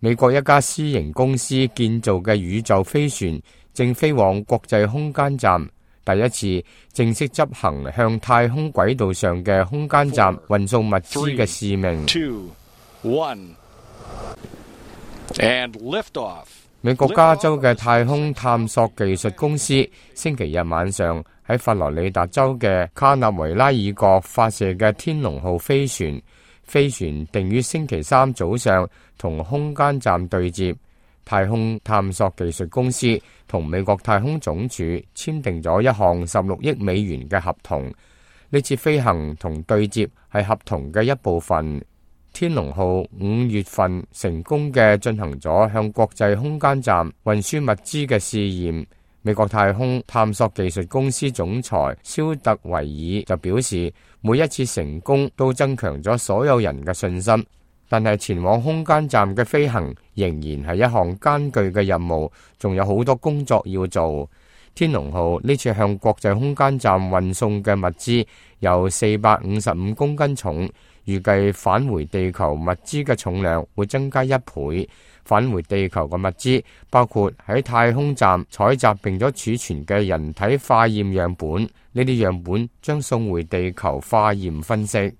美國一家私營公司建造嘅宇宙飛船正飛往國際空間站，第一次正式執行向太空軌道上嘅空間站運送物資嘅使命。美國加州嘅太空探索技術公司星期日晚上喺佛羅里達州嘅卡納維拉爾角發射嘅天龍號飛船，飛船定於星期三早上同空間站對接。太空探索技術公司同美國太空總署簽訂咗一項16億美元嘅合同，呢次飛行同對接係合同嘅一部分。天龍號5月份成功嘅進行咗向國際空間站運輸物資嘅試驗。美國太空探索技術公司總裁蕭特維爾就表示，每一次成功都增強咗所有人嘅信心，但係前往空間站嘅飛行仍然係一項艱巨嘅任務，仲有好多工作要做。天龍號呢次向國際空間站運送嘅物資有455公斤重，預計返回地球物資嘅重量會增加1倍。返回地球嘅物資包括喺太空站採集並咗儲存嘅人體化驗樣本，呢啲樣本將送回地球化驗分析。